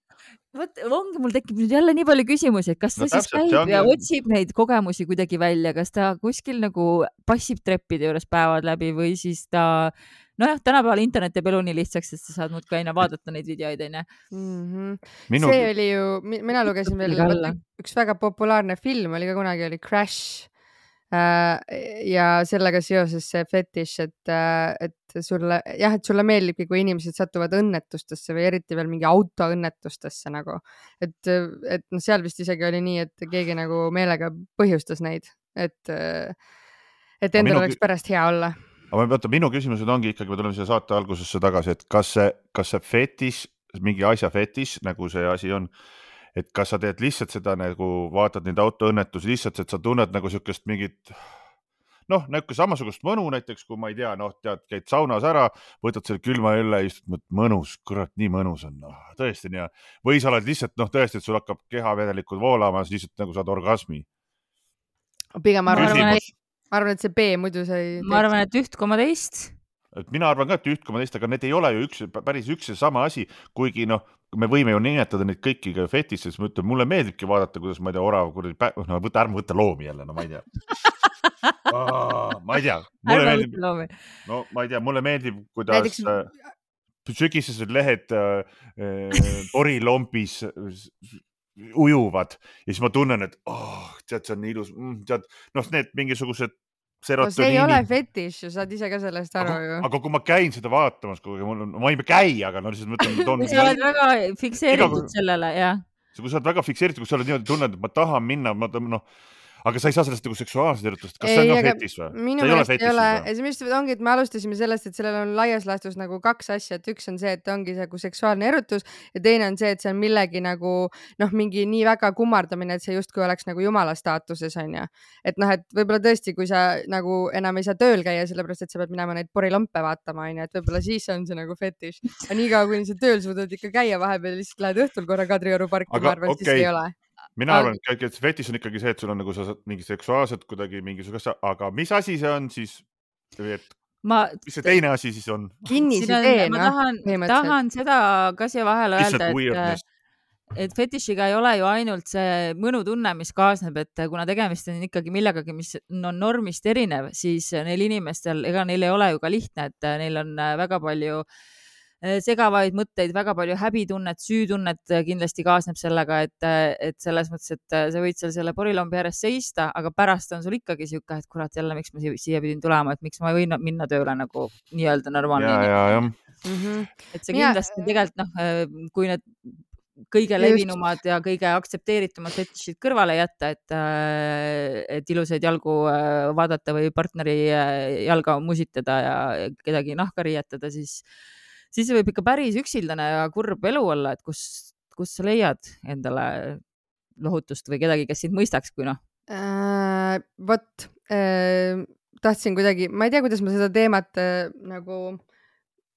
Võt, ongi, mul tekib nüüd jälle nii palju küsimusi, et kas ta no, siis täpselt, käib ja otsib neid kogemusi kuidagi välja, kas ta kuskil nagu passib treppide juures päevad läbi või siis ta, nojah, tänapäeval internet teeb elu nii lihtsaks, et sa saad muud ka aina vaadata neid videoid, on ju. See oli ju, mina lugesin veel, üks väga populaarne film oli ka kunagi, oli Crash. Ja sellega seoses see fetiš, et, et sulle, jah, et sulle meeldibki, kui inimesed satuvad õnnetustesse või eriti veel mingi autoõnnetustesse nagu, et, et no seal vist isegi oli nii, et keegi nagu meelega põhjustas neid, et, et endal oleks pärast hea olla. Aga vaata, minu küsimused ongi ikkagi, me tuleme selle saate algusesse tagasi, et kas see, kas see fetiš, mingi asja fetiš, nagu see asi on, et kas sa teed lihtsalt seda nagu vaatad neid autoõnnetusi lihtsalt, et sa tunned nagu sükest mingit, noh, nagu samasugust mõnu näiteks, kui ma ei tea, noh, tead, käid saunas ära, võtad selle külma õlle ja istud, mõnus, kurat, nii mõnus on, noh, tõesti nii. Või sa oled lihtsalt, noh, tõesti, et sul hakkab kehavedelikult voolama, siis lihtsalt nagu saad orgasmi. Pigem ma arvan, ma arvan, et see B muidu sa ei... Ma arvan, et üht koma teist. Et mina arvan ka, et üht koma teist, aga need ei ole ju üks, päris üks ja sama asi, kuigi noh, me võime ju nimetada neid kõiki ka fetis, siis ma ütlen, mulle meeldibki vaadata, kuidas ma ei tea, orav, no võta, ärme võtta loomi jälle, no ma ei tea. Aa, ma ei tea. Mulle meeldib, no ma ei tea, mulle meeldib, kuidas Näiteks... sügisesed lehed äh, orilompis ujuvad ja siis ma tunnen, et oh, tead, see on nii ilus, tead, noh, need mingisugused no see ei ole fetiš ju, saad ise ka sellest aru aga, ju. Aga kui ma käin seda vaatamas, kui mul on, ma ei käi, aga no lihtsalt mõtlen, toon... Kui sa oled väga fikseeritud iga... sellele, jah. Kui sa oled väga fikseeritud, kui sa oled niimoodi tunned, et ma tahan minna, ma noh, aga sa ei saa sellest nagu seksuaalselt erutust. Kas ei, see on ka fetis või? Minu meelest ei ole. See minu meelest ongi, et me alustasime sellest, et sellel on laias laastus nagu kaks asja, et üks on see, et ongi see nagu seksuaalne erutus ja teine on see, et see on millegi nagu noh, mingi nii väga kummardamine, et see justkui oleks nagu jumala staatuses on ju. Et noh, et võib-olla tõesti, kui sa nagu enam ei saa tööl käia, sellepärast, et sa pead minema neid porilompe vaatama on ju, et võib-olla siis on see nagu fetiš. Aga nii kaua, kui sa tööl suudad ikka käia vahepeal, lihtsalt lähed õhtul korra Kadrioru parki, ma arvan, okay. Siis ei ole. Mina arvan, et fetis on ikkagi see, et sul on nagu sa mingi seksuaalselt kuidagi mingisugust, aga mis asi see on siis, et ma, mis see teine asi siis on? Kinnisidee, ma tahan, tahan seda ka siia vahele öelda, et, et fetišiga ei ole ju ainult see mõnutunne, mis kaasneb, et kuna tegemist on ikkagi millegagi, mis on normist erinev, siis neil inimestel, ega neil ei ole ju ka lihtne, et neil on väga palju segavaid mõtteid, väga palju häbitunnet, süütunnet kindlasti kaasneb sellega, et, et selles mõttes, et sa võid seal selle porilombi ääres seista, aga pärast on sul ikkagi siuke, et kurat, jälle, miks ma siia pidin tulema, et miks ma ei või minna tööle nagu nii-öelda normaalne. Ja, ja, ja. Mm-hmm. Et see kindlasti ja, tegelikult, noh, kui need kõige levinumad ja kõige aktsepteeritumad fetišid kõrvale jätta, et, et ilusaid jalgu vaadata või partneri jalga musitada ja kedagi nahka riietada, siis siis võib ikka päris üksildane ja kurb elu olla, et kus, kus sa leiad endale lohutust või kedagi, kes sind mõistaks, kui noh? Äh, vot, äh, tahtsin kuidagi, ma ei tea, kuidas ma seda teemat äh, nagu,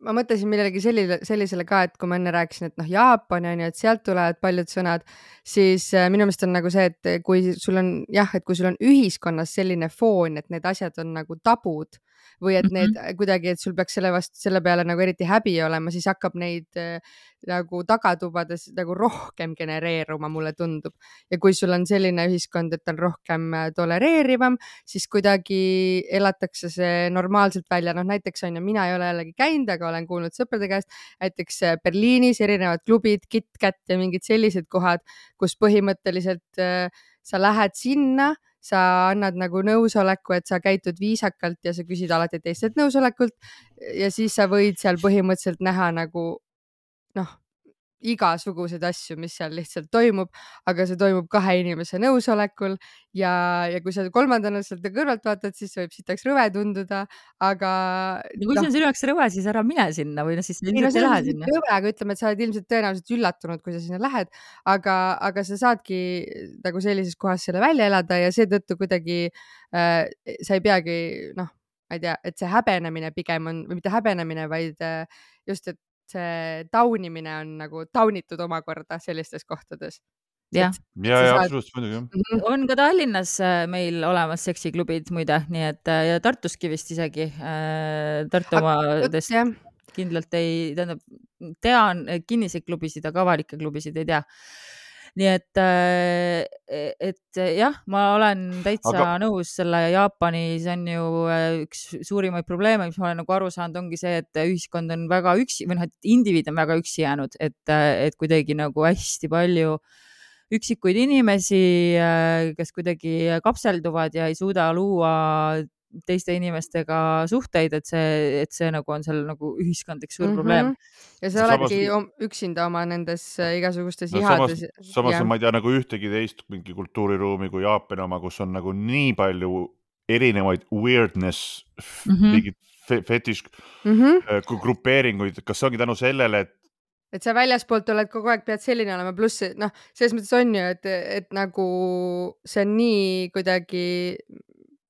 ma mõtlesin millelegi sellisele, sellisele ka, et kui ma enne rääkisin, et noh, Jaapan on ju, et sealt tulevad paljud sõnad, siis äh, minu meelest on nagu see, et kui sul on, jah, et kui sul on ühiskonnas selline foon, et need asjad on nagu tabud, või et need mm-hmm. kuidagi, et sul peaks selle vastu, selle peale nagu eriti häbi olema, siis hakkab neid äh, nagu tagatubades nagu rohkem genereeruma, mulle tundub. Ja kui sul on selline ühiskond, et on rohkem tolereerivam, siis kuidagi elatakse see normaalselt välja. Noh, näiteks on ju, mina ei ole jällegi käinud, aga olen kuulnud sõprade käest, näiteks Berliinis erinevad klubid, KitKat ja mingid sellised kohad, kus põhimõtteliselt äh, sa lähed sinna, sa annad nagu nõusoleku, et sa käitud viisakalt ja sa küsid alati teistelt nõusolekult ja siis sa võid seal põhimõtteliselt näha nagu noh, igasuguseid asju, mis seal lihtsalt toimub, aga see toimub kahe inimese nõusolekul ja, ja kui sa kolmandana sealt kõrvalt vaatad, siis võib sitaks rõve tunduda, aga no kui see on sinu jaoks rõve, siis ära mine sinna või no siis ei, no ilmselt ei lähe see sinna. rõve, aga ütleme, et sa oled ilmselt tõenäoliselt üllatunud, kui sa sinna lähed, aga, aga sa saadki nagu sellises kohas selle välja elada ja seetõttu kuidagi äh, sa ei peagi, noh, ma ei tea, et see häbenemine pigem on, või mitte häbenemine, vaid äh, just, et see taunimine on nagu taunitud omakorda sellistes kohtades. jah, ja, ja absoluutselt muidugi. Mhm. on ka Tallinnas äh, meil olemas seksiklubid muide, nii et äh, ja Tartuski vist isegi äh, Tartu omadest jah. kindlalt ei, tähendab, tean kinniseid klubisid, aga avalikke klubisid ei tea. nii et, äh, et jah, ma olen täitsa Aga- nõus selle Jaapanis on ju äh, üks suurimaid probleeme, mis ma olen nagu aru saanud, ongi see, et ühiskond on väga üksi või noh, et indiviid on väga üksi jäänud, et, äh, et kuidagi nagu hästi palju üksikuid inimesi, äh, kes kuidagi kapselduvad ja ei suuda luua teiste inimestega suhteid, et see, et see nagu on seal nagu ühiskondlik suur Mhm. probleem. ja sa Samas- oledki om- üksinda oma nendes äh, igasugustes No, samas, ihades. samas jah. ma ei tea nagu ühtegi teist mingi kultuuriruumi kui Jaapani oma, kus on nagu nii palju erinevaid weirdness, Mhm. mingid fe- fetiš Mhm. äh, grupeeringuid, kas see ongi tänu sellele, et et sa väljaspoolt oled kogu aeg, pead selline olema, pluss noh, selles mõttes on ju, et, et nagu see on nii kuidagi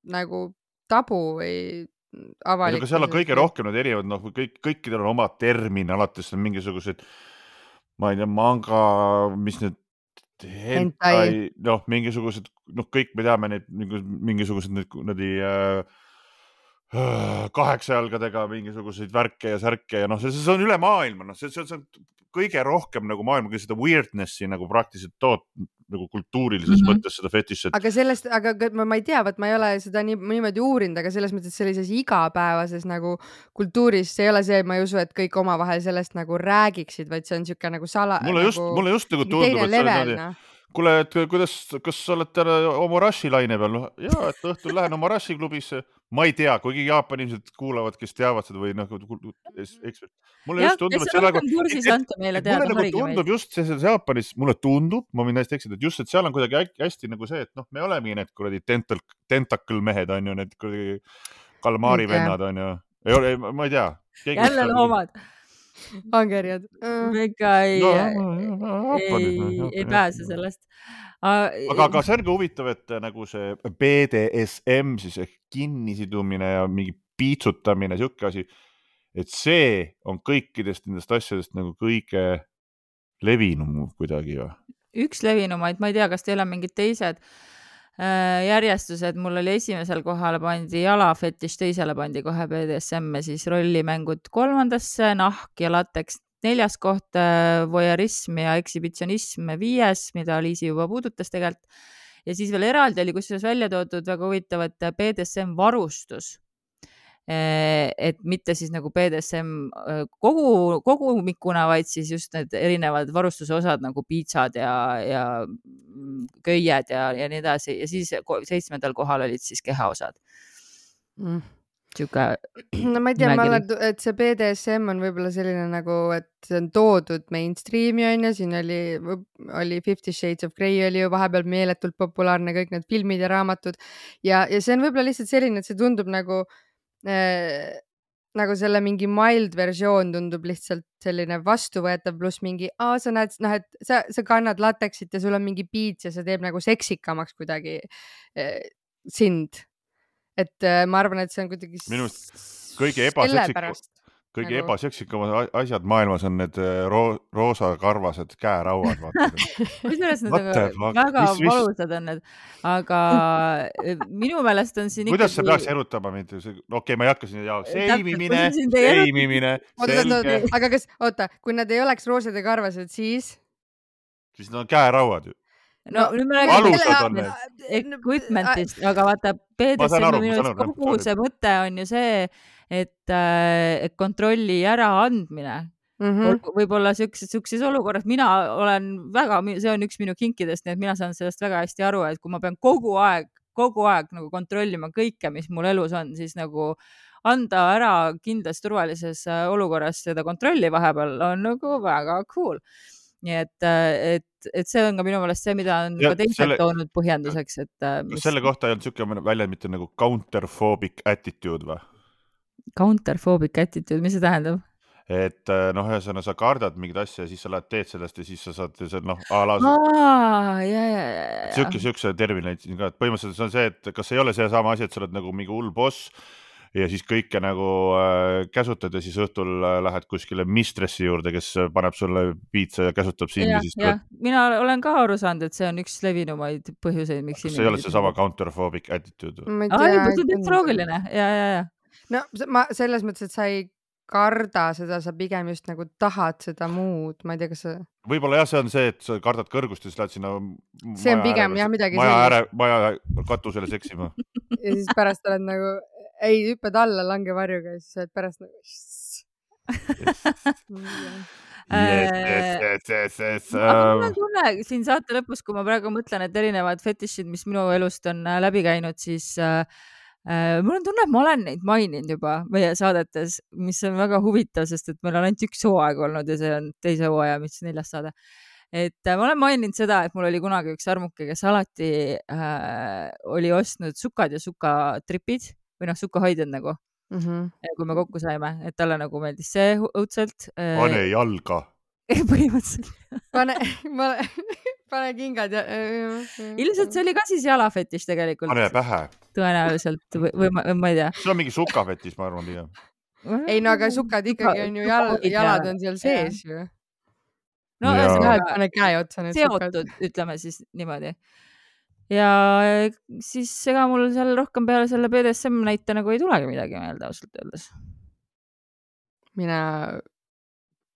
nagu tabu või aga avalik. seal on kõige rohkem need erinevad, noh, kõik, kõikidel on oma termin, alates on mingisugused, ma ei tea, manga, mis need hentai, noh, mingisugused, noh, kõik me teame neid mingisugused need, need äh, kaheksa jalgadega mingisuguseid värke ja särke ja noh, see, see on üle maailma, noh, see, see, see on kõige rohkem nagu maailma seda weirdnessi nagu praktiliselt toot nagu kultuurilises mm -hmm. mõttes seda fetišet. aga sellest, aga ma, ma ei tea, vot ma ei ole seda nii, niimoodi uurinud, aga selles mõttes sellises igapäevases nagu kultuuris, see ei ole see, ma ei usu, et kõik omavahel sellest nagu räägiksid, vaid see on niisugune nagu sala. mulle just nagu, mulle just nagu tundub, et see on no. kuule, et kuidas, kas sa oled täna Omarashi laine peal? No, jaa, et õhtul lähen Omarashi klubisse. Ma ei tea, kuigi Jaapani inimesed kuulavad, kes teavad seda või noh, ekspert. Mulle jah, just tundub, kes et on see nagu, rohkem kursis, ante meile et teada, mulle nagu harige meid. tundub just see, see Jaapanis, mulle tundub, ma võin hästi eksida, et just, et seal on kuidagi hästi nagu see, et noh, me olemegi need kuradi tentacle, tentacle mehed on ju, need kuradi kalmaari vennad on ju. Ei ole, ma ei tea. jälle loomad. Angerjad. me ikka ei, no, ei, ei pääse sellest. aga, aga see on ka huvitav, et nagu see B D S M siis ehk kinnisidumine ja mingi piitsutamine, siuke asi, et see on kõikidest nendest asjadest nagu kõige levinum kuidagi või? üks levinumaid, ma ei tea, kas teil on mingid teised äh, järjestused, mul oli esimesel kohale pandi jalafetiš, teisele pandi kohe B D S M ja siis rollimängud kolmandasse, nahk ja lateks neljas koht, voyeurism ja ekshibitsionism viies, mida Liisi juba puudutas tegelikult. Ja siis veel eraldi oli kusjuures välja toodud väga huvitav, et B D S M varustus. Et mitte siis nagu B D S M kogu, kogumikuna, vaid siis just need erinevad varustuse osad nagu piitsad ja, ja köied ja, ja nii edasi. Ja siis seitsmendal kohal olid siis kehaosad. Mm. Siuke no ma ei tea, ma olen, et see B D S M on võib-olla selline nagu, et see on toodud mainstreami on ju, siin oli, oli Fifty Shades of Grey oli ju vahepeal meeletult populaarne, kõik need filmid ja raamatud ja, ja see on võib-olla lihtsalt selline, et see tundub nagu äh, nagu selle mingi mild versioon tundub lihtsalt selline vastuvõetav pluss mingi, aa, sa näed, noh, et sa, sa kannad lateksit ja sul on mingi piits ja see teeb nagu seksikamaks kuidagi äh, sind. Et äh, ma arvan, et see on kuidagi minust kõige ebaseksikam, kõige nagu... ebaseksikamad asjad maailmas on need ro roosa karvased käerauad. Kusjuures need aga väga mis, valusad on need, aga minu meelest on siin kuidas ikkagi... sa peaks erutama mind? Okei, okay, ma ei hakka siin jaoks. Seimimine, seimimine. Aga kas, oota, kui nad ei oleks roosad ja karvased, siis? Siis nad on käerauad ju. no nüüd me räägime equipmentist, aga vaata B D S M minu eest kogu see mõte on ju see, et, et kontrolli äraandmine mm -hmm. võib-olla siukses olukorras, mina olen väga, see on üks minu kinkidest, nii et mina saan sellest väga hästi aru, et kui ma pean kogu aeg, kogu aeg nagu kontrollima kõike, mis mul elus on, siis nagu anda ära kindlas turvalises olukorras seda kontrolli vahepeal on nagu väga cool. nii et, et, et see on ka minu meelest see, mida on Ja ka teised selle- toonud põhjenduseks, et Kas mis selle kohta ei olnud siuke väljend mitte nagu counterphobic attitude või? counterphobic attitude, mis see tähendab? Et äh, noh, ühesõnaga sa kardad mingit asja ja siis sa lähed teed sellest ja siis sa saad see noh, a la Aa, ja, ja, ja, ja. siuke, siukse termini leidsin ka, et põhimõtteliselt see on see, et kas ei ole see sama asi, et sa oled nagu mingi hull boss ja siis kõike nagu äh, käsutad ja siis õhtul äh, lähed kuskile mistressi juurde, kes paneb sulle piitsa ja käsutab sind ja, ja, siis ja. Mina olen ka aru saanud, et see on üks levinumaid põhjuseid, miks kas ei ole see sama counterphobic attitude? ma ei Aa, tea. see on täitsa loogiline, ja, ja, ja. No ma selles mõttes, et sa ei karda seda, sa pigem just nagu tahad seda muud, ma ei tea, kas sa... Võib-olla jah, see on see, et sa kardad kõrgust ja siis lähed sinna see on pigem jah midagi maja, ääre, maja katusele seksima. ja siis pärast oled nagu, ei, hüppad alla langevarjuga ja siis oled pärast nagu... yes, yes, yes, yes, yes. Aga mul on tunne siin saate lõpus, kui ma praegu mõtlen, et erinevad fetišid, mis minu elust on läbi käinud, siis äh, äh, mul on tunne, et ma olen neid maininud juba meie saadetes, mis on väga huvitav, sest et meil on ainult üks hooaeg olnud ja see on teise hooaja, mis neljas saade. Et äh, ma olen maininud seda, et mul oli kunagi üks armuke, kes alati äh, oli ostnud sukad ja sukatripid või noh, sukahoidjad nagu. Mm -hmm. kui me kokku saime, et talle nagu meeldis see õudselt. Pane jalga. Põhimõtteliselt. Pane, ma, pane kingad ja... Ilmselt see oli ka siis jalafetiš tegelikult. Pane pähe. Tõenäoliselt või, või ma, ma ei tea. See on mingi sukafetiš, ma arvan pigem. Ei, no aga sukad ikkagi on ju jal, jalad on seal sees ju. No ja pane käe otsa need seotud, sukad. Ütleme siis niimoodi. Ja siis ega mul seal rohkem peale selle B D S M näite nagu ei tulegi midagi meelde ausalt öeldes. Mina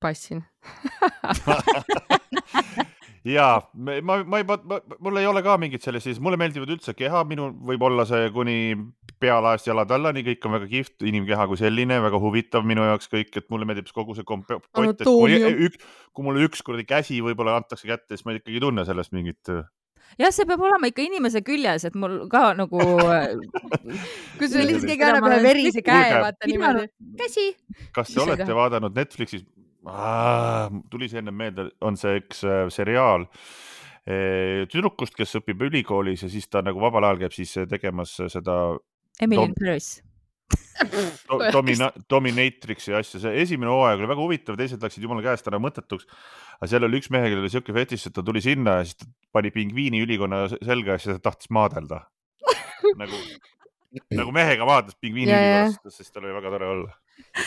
passin. Jaa, ma, ma ei, ma, mul ei ole ka mingit sellised, mulle meeldivad üldse keha, minu võib olla see kuni pealaest jalad alla, nii kõik on väga kihvt, inimkeha kui selline, väga huvitav minu jaoks kõik, et mulle meeldib kogu see kompott, et kui, ük, kui mulle üks kuradi käsi võib-olla antakse kätte, siis ma ikkagi tunne sellest mingit... jah, see peab olema ikka inimese küljes, et mul ka nagu... kui sul lihtsalt keegi annab ühe verise käe, vaata niimoodi. Käsi! Kas te olete vaadanud Netflixis? Ah, tuli see enne meelde, on see üks äh, seriaal e, tüdrukust, kes õpib ülikoolis ja siis ta nagu vabal ajal käib siis tegemas seda Emily in Paris do, domina, Dominatrixi asja. See esimene hooaeg oli väga huvitav, teised läksid jumala käest ära mõttetuks, aga seal oli üks mehe, kellel oli siuke fetiš, et ta tuli sinna ja siis ta pani pingviini ülikonna selga ja siis ta tahtis maadelda nagu, nagu mehega vaadlas pingviini ülikonnast, sest tal oli väga tore olla.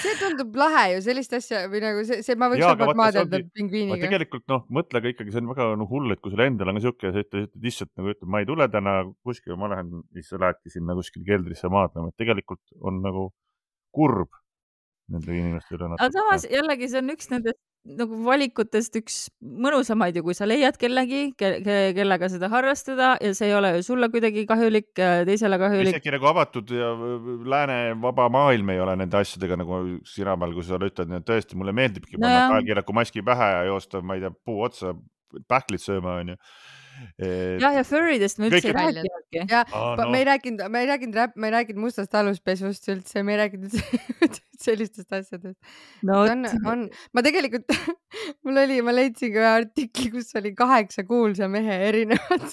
See tundub lahe ju, sellist asja või nagu see, see ma võiks vabalt maadelda pingviiniga. Tegelikult noh, mõtle ka ikkagi, see on väga no, hull, et kui sul endal on siuke ja sa ütled lihtsalt nagu ütled, ma ei tule täna kuskil, ma lähen, siis sa lähedki sinna kuskil keldrisse maadlema, et tegelikult on nagu kurb nende inimeste üle. Aga samas jällegi see on üks nendest nagu valikutest üks mõnusamaid ju, kui sa leiad kellegi, ke ke kellega seda harrastada ja see ei ole ju sulle kuidagi kahjulik, teisele kahjulik. Isegi nagu avatud ja lääne vaba maailm ei ole nende asjadega nagu sina peal, kui sa ütled, et tõesti mulle meeldibki panna no kaelkirjaku maski pähe ja joosta, ma ei tea, puu otsa pähklit sööma on ju. Et... jah, ja furridest me üldse ei rääkinudki. Ja ah, no. me ei rääkinud, me ei rääkinud, me ei rääkinud mustast aluspesust üldse, me ei rääkinud sellistest asjadest. No, on, on, ma tegelikult, mul oli, ma leidsin ka ühe artikli, kus oli kaheksa kuulsa mehe erinevad.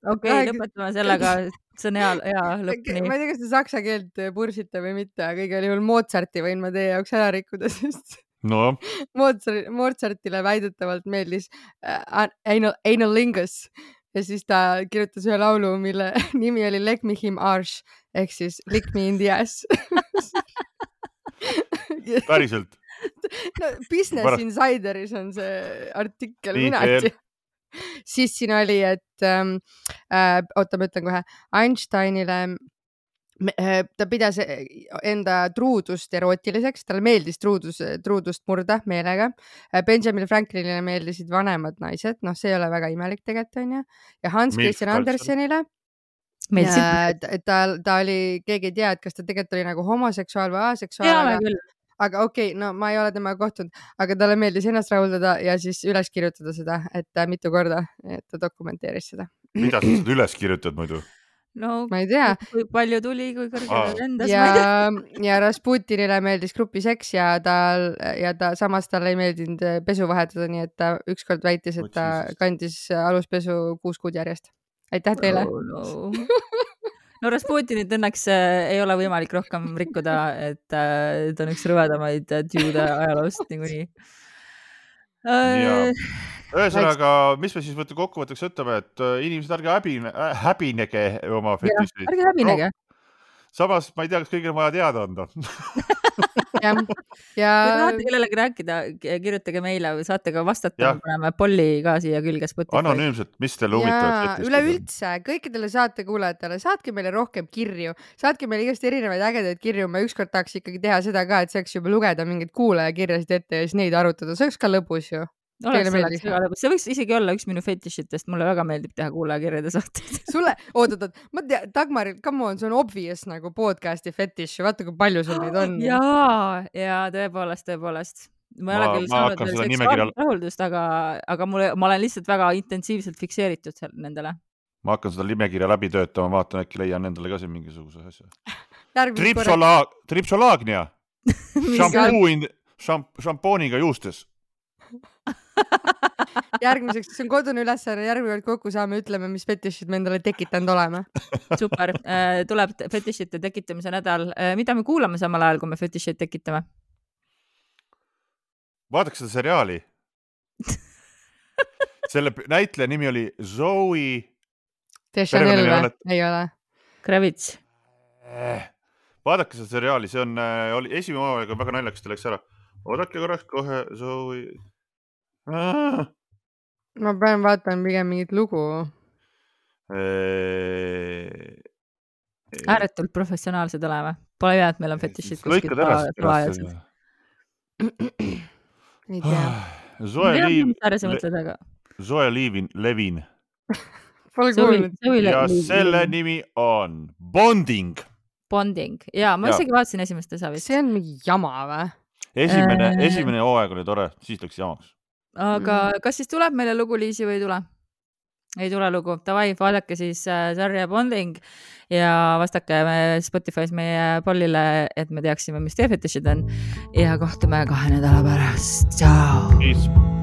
Okei, okay, lõpetame sellega, see on hea, hea lõpp. Ma ei tea, kas te saksa keelt pursite või mitte, aga igal juhul Mozarti võin ma teie jaoks ära rikkuda, sest no. Mozart, Mozartile väidetavalt meeldis uh, anal, Analingus ja siis ta kirjutas ühe laulu, mille nimi oli Leg me him arsh ehk siis Lick me in the ass. Päriselt? No, Business Pärast... Insideris on see artikkel, mina ei tea. Siis siin oli, et ähm, äh, oota, ma ütlen kohe, Einsteinile ta pidas enda truudust erootiliseks, talle meeldis truudus, truudust murda meelega. Benjamin Franklinile meeldisid vanemad naised, noh, see ei ole väga imelik tegelikult, on ju. Ja Hans Christian Andersenile ta, ta, ta oli, keegi ei tea, et kas ta tegelikult oli nagu homoseksuaal või aseksuaal. Aga, aga okei, okay, no ma ei ole temaga kohtunud, aga talle meeldis ennast rahuldada ja siis üles kirjutada seda, et mitu korda, et ta dokumenteeris seda. Mida sa üles kirjutad muidu? no ma ei tea. Kui palju tuli, kui kõrgele lendas. Ja, ja Rasputinile meeldis gruppiseks ja ta, ja ta samas talle ei meeldinud pesu vahetada, nii et ta ükskord väitis, et ta kandis aluspesu kuus kuud järjest. Aitäh teile. Oh, no. no Rasputinit õnneks äh, ei ole võimalik rohkem rikkuda, et äh, ta on üks rõvedamaid tüüde ajaloost niikuinii. Äh, Ühesõnaga, mis me siis võtta kokkuvõtteks ütleme, et inimesed ärge häbine, häbinege oma fetišid. Ärge häbinege. Samas ma ei tea, kas kõigil vaja teada anda. ja, ja... Kui tahate kellelegi rääkida, kirjutage meile või saate ka vastata, paneme polli ka siia külge Spotify. Anonüümselt, mis teil huvitavad? Üleüldse, kõikidele saate kuulajatele, saatke meile rohkem kirju, saatke meile igast erinevaid ägedaid kirju, ma ükskord tahaks ikkagi teha seda ka, et saaks juba lugeda mingeid kuulajakirjasid ette ja siis neid arutada, see oleks ka lõbus ju. Oleks see, see võiks isegi olla üks minu fetišitest, mulle väga meeldib teha kuulajakirjade saateid. Sulle, oot-oot, ma tea, Dagmaril, come on, see on obvious nagu podcasti fetiš, vaata kui palju sul neid on. Jaa, ja tõepoolest, tõepoolest. Ma ei ole küll saanud veel seksuaalset rahuldust, aga, aga mulle, ma olen lihtsalt väga intensiivselt fikseeritud seal nendele. Ma hakkan seda nimekirja läbi töötama, vaatan äkki leian nendele ka siin mingisuguse asja. Tripsolaag, tripsolaagnia. Šampuun, šampooniga juustes. Järgmiseks, see on kodune ülesanne, järgmine kokku saame, ütleme, mis fetišid me endale tekitanud oleme. Super, tuleb fetišite tekitamise nädal. Mida me kuulame samal ajal, kui me fetišid tekitame? Vaadake seda seriaali. Selle näitleja nimi oli Zoe Deschanel või? Ei ole. Kravitz. Vaadake seda seriaali, see on, oli esimene omaga väga naljakas, ta läks ära. Oodake korraks kohe Zoe. Ah. Ma pean vaatan pigem mingit lugu. Ääretult professionaalsed oleme. Pole hea, et meil on fetišid kuskil salajasid. Ei tea. Zoe Levin. Levin. Pole kuulnud. Ja selle nimi on Bonding. Bonding. Ja, ma isegi vaatasin esimest osa vist. See on mingi jama või? Esimene, esimene hooaeg oli tore, siis läks jamaks. Aga kas siis tuleb meile lugu, Liisi, või ei tule? Ei tule lugu. Tavai, vaadake siis sarja Bonding ja vastake Spotify's meie pollile, et me teaksime, mis teie fetišid on. Ja kohtume kahe nädala pärast. Ciao! Peace!